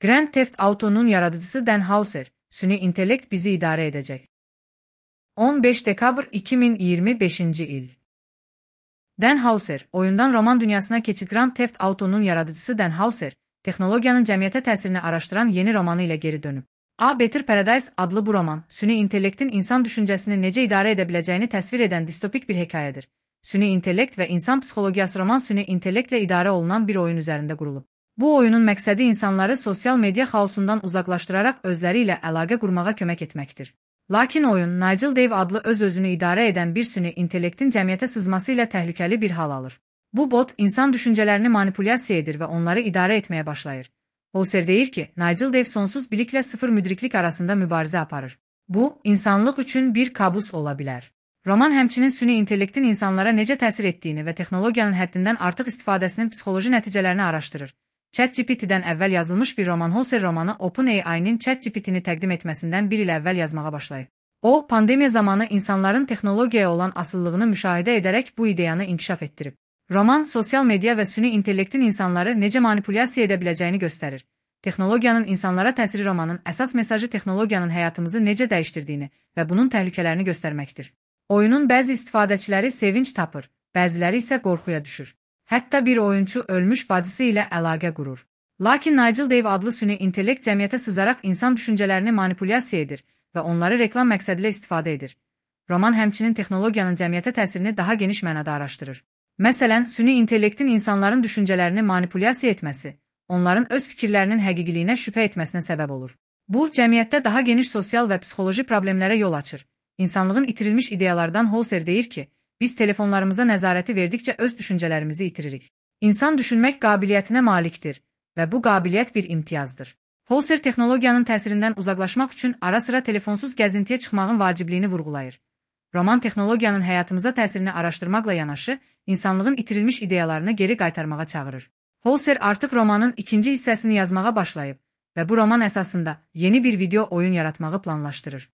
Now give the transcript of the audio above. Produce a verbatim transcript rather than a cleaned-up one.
Grand Theft Auto'nun yaradıcısı Dan Houser, süni intellekt bizi idare edecek. on beş dekabr iki min iyirmi beşinci il. Dan Houser, oyundan roman dünyasına keçid. Grand Theft Auto'nun yaradıcısı Dan Houser, texnologiyanın cəmiyyətə təsirini araşdıran yeni romanı ilə geri dönüb. A Better Paradise adlı bu roman, süni intellektin insan düşüncəsini necə idarə edə biləcəyini təsvir edən distopik bir hekayədir. Süni intellekt və insan psixologiyası roman süni intellektlə idarə olunan bir oyun üzərində qurulub. Bu oyunun məqsədi insanları sosial media xaosundan uzaqlaşdıraraq özləri ilə əlaqə qurmağa kömək etməkdir. Lakin oyun, Nigel Dave adlı öz-özünü idarə edən bir süni intellektin cəmiyyətə sızması ilə təhlükəli bir hal alır. Bu bot, insan düşüncələrini manipulyasiya edir və onları idarə etməyə başlayır. Houser deyir ki, Nigel Dave sonsuz biliklə sıfır müdriklik arasında mübarizə aparır. Bu, insanlıq üçün bir kabus ola bilər. Roman həmçinin süni intellektin insanlara necə təsir etdiyini və texnologiyanın həddindən artıq istifadəsinin psixoloji nəticələrini araşdırır. ChatGPT-dən əvvəl yazılmış bir roman. Houser romanı OpenAI-nin ChatGPT-ni təqdim etməsindən bir il əvvəl yazmağa başlayıb. O, pandemiya zamanı insanların texnologiyaya olan asıllığını müşahidə edərək bu ideyanı inkişaf etdirib. Roman, sosial media və süni intellektin insanları necə manipulyasiya edə biləcəyini göstərir. Texnologiyanın insanlara təsiri romanın əsas mesajı texnologiyanın həyatımızı necə dəyişdirdiyini və bunun təhlükələrini göstərməkdir. Oyunun bəzi istifadəçiləri sevinç tapır, bəziləri isə qorxuya düşür. Hətta bir oyunçu ölmüş bacısı ilə əlaqə qurur. Lakin Nigel Dave adlı süni intellekt cəmiyyətə sızaraq insan düşüncələrini manipulyasiya edir və onları reklam məqsədilə istifadə edir. Roman həmçinin texnologiyanın cəmiyyətə təsirini daha geniş mənada araşdırır. Məsələn, süni intellektin insanların düşüncələrini manipulyasiya etməsi, onların öz fikirlərinin həqiqiliyinə şübhə etməsinə səbəb olur. Bu, cəmiyyətdə daha geniş sosial və psixoloji problemlərə yol açır. İnsanlığın itirilmiş ideyalardan Houser deyir ki, biz telefonlarımıza nəzarəti verdikcə öz düşüncələrimizi itiririk. İnsan düşünmək qabiliyyətinə malikdir və bu qabiliyyət bir imtiyazdır. Houser texnologiyanın təsirindən uzaqlaşmaq üçün ara-sıra telefonsuz gəzintiyə çıxmağın vacibliyini vurğulayır. Roman texnologiyanın həyatımıza təsirini araşdırmaqla yanaşı, insanlığın itirilmiş ideyalarını geri qaytarmağa çağırır. Houser artıq romanın ikinci hissəsini yazmağa başlayıb və bu roman əsasında yeni bir video oyun yaratmağı planlaşdırır.